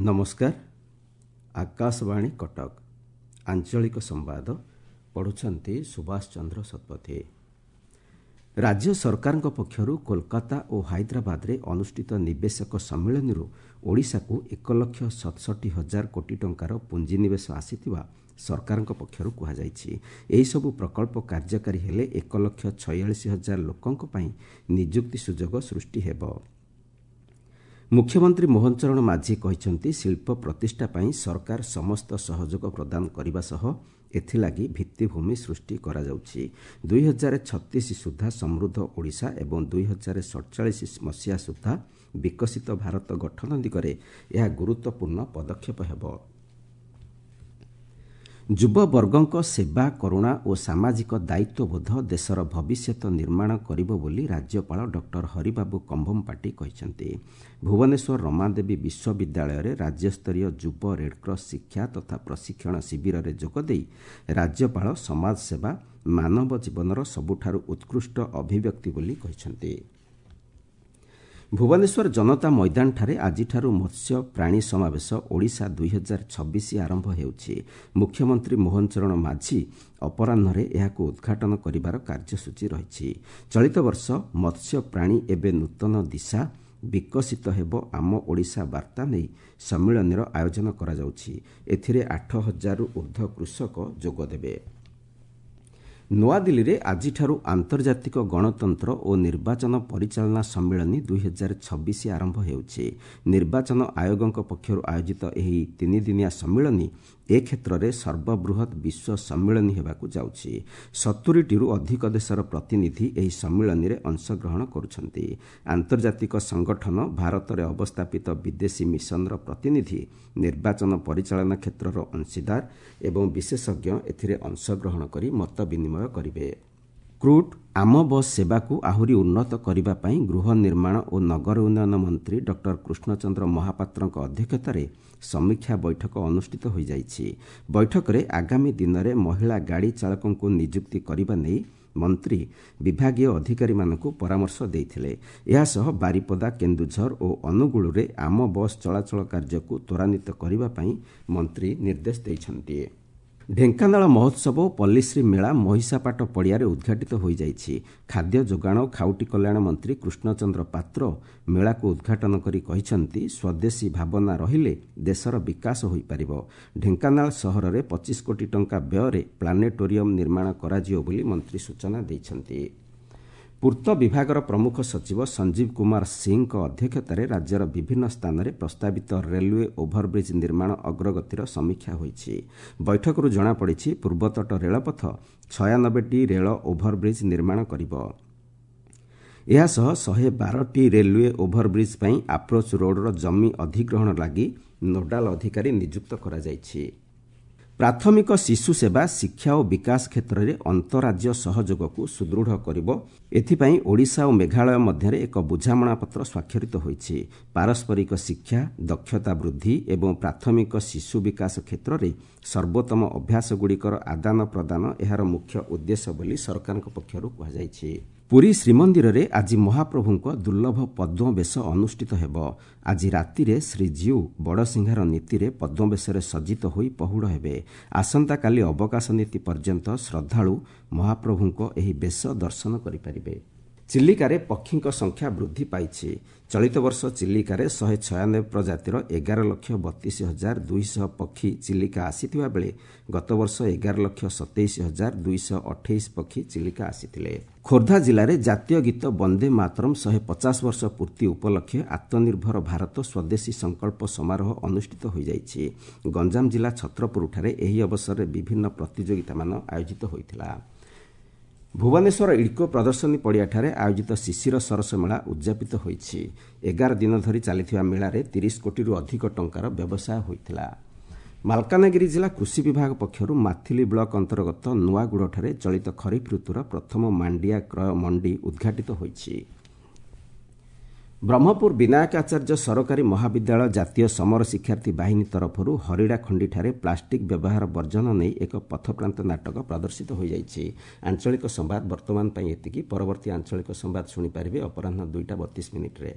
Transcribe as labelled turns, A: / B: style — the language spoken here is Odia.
A: ନମସ୍କାର, ଆକାଶବାଣୀ କଟକ, ଆଞ୍ଚଳିକ ସମ୍ବାଦ ପଢ଼ୁଛନ୍ତି ସୁଭାଷ ଚନ୍ଦ୍ର ଶତପଥୀ। ରାଜ୍ୟ ସରକାରଙ୍କ ପକ୍ଷରୁ କୋଲକାତା ଓ ହାଇଦ୍ରାବାଦରେ ଅନୁଷ୍ଠିତ ନିବେଶକ ସମ୍ମିଳନୀରୁ ଓଡ଼ିଶାକୁ 1,67,000 କୋଟି ଟଙ୍କାର ପୁଞ୍ଜିନିବେଶ ଆସିଥିବା ସରକାରଙ୍କ ପକ୍ଷରୁ କୁହାଯାଇଛି। ଏହିସବୁ ପ୍ରକଳ୍ପ କାର୍ଯ୍ୟକାରୀ ହେଲେ 1,46,000 ଲୋକଙ୍କ ପାଇଁ ନିଯୁକ୍ତି ସୁଯୋଗ ସୃଷ୍ଟି ହେବ। ମୁଖ୍ୟମନ୍ତ୍ରୀ ମୋହନ ଚରଣ ମାଝୀ କହିଛନ୍ତି, ଶିଳ୍ପ ପ୍ରତିଷ୍ଠା ପାଇଁ ସରକାର ସମସ୍ତ ସହଯୋଗ ପ୍ରଦାନ କରିବା ସହ ଏଥିଲାଗି ଭିତ୍ତିଭୂମି ସୃଷ୍ଟି କରାଯାଉଛି। 2036 ସୁଦ୍ଧା ସମୃଦ୍ଧ ଓଡ଼ିଶା ଏବଂ 2047 ମସିହା ସୁଦ୍ଧା ବିକଶିତ ଭାରତ ଗଠନ ଦିଗରେ ଏହା ଗୁରୁତ୍ୱପୂର୍ଣ୍ଣ ପଦକ୍ଷେପ ହେବ। ଯୁବବର୍ଗଙ୍କ ସେବା, କରୁଣା ଓ ସାମାଜିକ ଦାୟିତ୍ୱବୋଧ ଦେଶର ଭବିଷ୍ୟତ ନିର୍ମାଣ କରିବ ବୋଲି ରାଜ୍ୟପାଳ ଡକ୍ଟର ହରିବାବୁ କମ୍ଭମପାଟି କହିଛନ୍ତି। ଭୁବନେଶ୍ୱର ରମାଦେବୀ ବିଶ୍ୱବିଦ୍ୟାଳୟରେ ରାଜ୍ୟସ୍ତରୀୟ ଯୁବ ରେଡ୍କ୍ରସ୍ ଶିକ୍ଷା ତଥା ପ୍ରଶିକ୍ଷଣ ଶିବିରରେ ଯୋଗଦେଇ ରାଜ୍ୟପାଳ ସମାଜସେବା ମାନବ ଜୀବନର ସବୁଠାରୁ ଉତ୍କୃଷ୍ଟ ଅଭିବ୍ୟକ୍ତି ବୋଲି କହିଛନ୍ତି। ଭୁବନେଶ୍ୱର ଜନତା ମଇଦାନଠାରେ ଆଜିଠାରୁ ମତ୍ସ୍ୟ ପ୍ରାଣୀ ସମାବେଶ ଓଡ଼ିଶା 2026 ଆରମ୍ଭ ହେଉଛି। ମୁଖ୍ୟମନ୍ତ୍ରୀ ମୋହନ ଚରଣ ମାଝୀ ଅପରାହ୍ନରେ ଏହାକୁ ଉଦ୍ଘାଟନ କରିବାର କାର୍ଯ୍ୟସୂଚୀ ରହିଛି। ଚଳିତ ବର୍ଷ ମତ୍ସ୍ୟ ପ୍ରାଣୀ ଏବେ ନୂତନ ଦିଶା, ବିକଶିତ ହେବ ଆମ ଓଡ଼ିଶା ବାର୍ତ୍ତା ନେଇ ସମ୍ମିଳନୀର ଆୟୋଜନ କରାଯାଉଛି। ଏଥିରେ 8,000ରୁ ଉର୍ଦ୍ଧ୍ୱ କୃଷକ ଯୋଗଦେବେ। ନୂଆଦିଲ୍ଲୀରେ ଆଜିଠାରୁ ଆନ୍ତର୍ଜାତିକ ଗଣତନ୍ତ୍ର ଓ ନିର୍ବାଚନ ପରିଚାଳନା ସମ୍ମିଳନୀ 2026 ଆରମ୍ଭ ହେଉଛି। ନିର୍ବାଚନ ଆୟୋଗଙ୍କ ପକ୍ଷରୁ ଆୟୋଜିତ ଏହି ତିନିଦିନିଆ ସମ୍ମିଳନୀ ଏ କ୍ଷେତ୍ରରେ ସର୍ବବୃହତ୍ ବିଶ୍ୱ ସମ୍ମିଳନୀ ହେବାକୁ ଯାଉଛି। 70ଟିରୁ ଅଧିକ ଦେଶର ପ୍ରତିନିଧି ଏହି ସମ୍ମିଳନୀରେ ଅଂଶଗ୍ରହଣ କରୁଛନ୍ତି। ଆନ୍ତର୍ଜାତିକ ସଂଗଠନ, ଭାରତରେ ଅବସ୍ଥାପିତ ବିଦେଶୀ ମିଶନର ପ୍ରତିନିଧି, ନିର୍ବାଚନ ପରିଚାଳନା କ୍ଷେତ୍ରର ଅଂଶୀଦାର ଏବଂ ବିଶେଷଜ୍ଞ ଏଥିରେ ଅଂଶଗ୍ରହଣ କରି ମତ ବିନିମୟ କରିବେ। କ୍ରୁଟ୍ ଆମ ବସ୍ ସେବାକୁ ଆହୁରି ଉନ୍ନତ କରିବା ପାଇଁ ଗୃହ ନିର୍ମାଣ ଓ ନଗର ଉନ୍ନୟନ ମନ୍ତ୍ରୀ ଡକ୍ଟର କୃଷ୍ଣଚନ୍ଦ୍ର ମହାପାତ୍ରଙ୍କ ଅଧ୍ୟକ୍ଷତାରେ ସମୀକ୍ଷା ବୈଠକ ଅନୁଷ୍ଠିତ ହୋଇଯାଇଛି। ବୈଠକରେ ଆଗାମୀ ଦିନରେ ମହିଳା ଗାଡ଼ି ଚାଳକଙ୍କୁ ନିଯୁକ୍ତି କରିବା ନେଇ ମନ୍ତ୍ରୀ ବିଭାଗୀୟ ଅଧିକାରୀମାନଙ୍କୁ ପରାମର୍ଶ ଦେଇଥିଲେ। ଏହାସହ ବାରିପଦା, କେନ୍ଦୁଝର ଓ ଅନୁଗୁଳରେ ଆମ ବସ୍ ଚଳାଚଳ କାର୍ଯ୍ୟକୁ ତ୍ୱରାନ୍ୱିତ କରିବା ପାଇଁ ମନ୍ତ୍ରୀ ନିର୍ଦ୍ଦେଶ ଦେଇଛନ୍ତି। ଢେଙ୍କାନାଳ ମହୋତ୍ସବ ଓ ପଲ୍ଲୀଶ୍ରୀ ମେଳା ମହିଷାପାଟ ପଡ଼ିଆରେ ଉଦ୍ଘାଟିତ ହୋଇଯାଇଛି। ଖାଦ୍ୟ ଯୋଗାଣ ଓ ଖାଉଟି କଲ୍ୟାଣ ମନ୍ତ୍ରୀ କୃଷ୍ଣଚନ୍ଦ୍ର ପାତ୍ର ମେଳାକୁ ଉଦ୍ଘାଟନ କରି କହିଛନ୍ତି, ସ୍ୱଦେଶୀ ଭାବନା ରହିଲେ ଦେଶର ବିକାଶ ହୋଇପାରିବ। ଢେଙ୍କାନାଳ ସହରରେ 25 କୋଟି ଟଙ୍କା ବ୍ୟୟରେ ପ୍ଲାନେଟୋରିୟମ ନିର୍ମାଣ କରାଯିବ ବୋଲି ମନ୍ତ୍ରୀ ସୂଚନା ଦେଇଛନ୍ତି। ପୂର୍ତ୍ତ ବିଭାଗର ପ୍ରମୁଖ ସଚିବ ସଞ୍ଜୀବ କୁମାର ସିଂଙ୍କ ଅଧ୍ୟକ୍ଷତାରେ ରାଜ୍ୟର ବିଭିନ୍ନ ସ୍ଥାନରେ ପ୍ରସ୍ତାବିତ ରେଲୱେ ଓଭରବ୍ରିଜ୍ ନିର୍ମାଣ ଅଗ୍ରଗତିର ସମୀକ୍ଷା ହୋଇଛି। ବୈଠକରୁ ଜଣାପଡ଼ିଛି, ପୂର୍ବତଟ ରେଳପଥ 96ଟି ରେଳ ଓଭରବ୍ରିଜ୍ ନିର୍ମାଣ କରିବ। ଏହାସହ 112ଟି ରେଲୱେ ଓଭରବ୍ରିଜ୍ ପାଇଁ ଆପ୍ରୋଚ୍ ରୋଡ୍ର ଜମି ଅଧିଗ୍ରହଣ ଲାଗି ନୋଡାଲ ଅଧିକାରୀ ନିଯୁକ୍ତ କରାଯାଇଛି। ପ୍ରାଥମିକ ଶିଶୁ ସେବା, ଶିକ୍ଷା ଓ ବିକାଶ କ୍ଷେତ୍ରରେ ଅନ୍ତରାଜ୍ୟ ସହଯୋଗକୁ ସୁଦୃଢ଼ କରିବ, ଏଥିପାଇଁ ଓଡ଼ିଶା ଓ ମେଘାଳୟ ମଧ୍ୟରେ ଏକ ବୁଝାମଣାପତ୍ର ସ୍ୱାକ୍ଷରିତ ହୋଇଛି। ପାରସ୍ପରିକ ଶିକ୍ଷା, ଦକ୍ଷତା ବୃଦ୍ଧି ଏବଂ ପ୍ରାଥମିକ ଶିଶୁ ବିକାଶ କ୍ଷେତ୍ରରେ ସର୍ବୋତ୍ତମ ଅଭ୍ୟାସଗୁଡ଼ିକର ଆଦାନ ପ୍ରଦାନ ଏହାର ମୁଖ୍ୟ ଉଦ୍ଦେଶ୍ୟ ବୋଲି ସରକାରଙ୍କ ପକ୍ଷରୁ କୁହାଯାଇଛି। ପୁରୀ ଶ୍ରୀମନ୍ଦିରରେ ଆଜି ମହାପ୍ରଭୁଙ୍କ ଦୁର୍ଲଭ ପଦ୍ମବେଶ ଅନୁଷ୍ଠିତ ହେବ। ଆଜି ରାତିରେ ଶ୍ରୀଜୀଉ ବଡ଼ସିଂହାର ନୀତିରେ ପଦ୍ମବେଶରେ ସଜ୍ଜିତ ହୋଇ ପହୁଡ଼ ହେବେ। ଆସନ୍ତାକାଲି ଅବକାଶ ନୀତି ପର୍ଯ୍ୟନ୍ତ ଶ୍ରଦ୍ଧାଳୁ ମହାପ୍ରଭୁଙ୍କ ଏହି ବେଶ ଦର୍ଶନ କରିପାରିବେ। ଚିଲିକାରେ ପକ୍ଷୀଙ୍କ ସଂଖ୍ୟା ବୃଦ୍ଧି ପାଇଛି। ଚଳିତ ବର୍ଷ ଚିଲିକାରେ 196 ପ୍ରଜାତିର 11,32,200 ପକ୍ଷୀ ଚିଲିକା ଆସିଥିବା ବେଳେ ଗତବର୍ଷ 11,27,228 ପକ୍ଷୀ ଚିଲିକା ଆସିଥିଲେ। ଖୋର୍ଦ୍ଧା ଜିଲ୍ଲାରେ ଜାତୀୟ ଗୀତ ବନ୍ଦେ ମାତରମ୍ 150 ବର୍ଷ ପୂର୍ତ୍ତି ଉପଲକ୍ଷେ ଆତ୍ମନିର୍ଭର ଭାରତ ସ୍ୱଦେଶୀ ସଂକଳ୍ପ ସମାରୋହ ଅନୁଷ୍ଠିତ ହୋଇଯାଇଛି। ଗଞ୍ଜାମ ଜିଲ୍ଲା ଛତ୍ରପୁରଠାରେ ଏହି ଅବସରରେ ବିଭିନ୍ନ ପ୍ରତିଯୋଗିତାମାନ ଆୟୋଜିତ ହୋଇଥିଲା। ଭୁବନେଶ୍ୱର ଇଡ୍କୋ ପ୍ରଦର୍ଶନୀ ପଡ଼ିଆଠାରେ ଆୟୋଜିତ ଶିଶିର ସରସ ମେଳା ଉଦ୍ଯାପିତ ହୋଇଛି। 11 ଦିନ ଧରି ଚାଲିଥିବା ମେଳାରେ 30 କୋଟିରୁ ଅଧିକ ଟଙ୍କାର ବ୍ୟବସାୟ ହୋଇଥିଲା। ମାଲକାନଗିରି ଜିଲ୍ଲା କୃଷି ବିଭାଗ ପକ୍ଷରୁ ମାଥିଲି ବ୍ଲକ ଅନ୍ତର୍ଗତ ନୂଆଗୁଡ଼ଠାରେ ଚଳିତ ଖରିଫ ଋତୁର ପ୍ରଥମ ମାଣ୍ଡିଆ କ୍ରୟ ମଣ୍ଡି ଉଦ୍ଘାଟିତ ହୋଇଛି। ବ୍ରହ୍ମପୁର ବିନାୟକ ଆଚାର୍ଯ୍ୟ ସରକାରୀ ମହାବିଦ୍ୟାଳୟ ଜାତୀୟ ସମର ଶିକ୍ଷାର୍ଥୀ ବାହିନୀ ତରଫରୁ ହରିଡ଼ାଖଣ୍ଡିଠାରେ ପ୍ଲାଷ୍ଟିକ୍ ବ୍ୟବହାର ବର୍ଜନ ନେଇ ଏକ ପଥପ୍ରାନ୍ତ ନାଟକ ପ୍ରଦର୍ଶିତ ହୋଇଯାଇଛି। ଆଞ୍ଚଳିକ ସମ୍ବାଦ ବର୍ତ୍ତମାନ ପାଇଁ ଏତିକି। ପରବର୍ତ୍ତୀ ଆଞ୍ଚଳିକ ସମ୍ବାଦ ଶୁଣିପାରିବେ ଅପରାହ୍ନ 2ଟା 32 ମିନିଟ୍ରେ।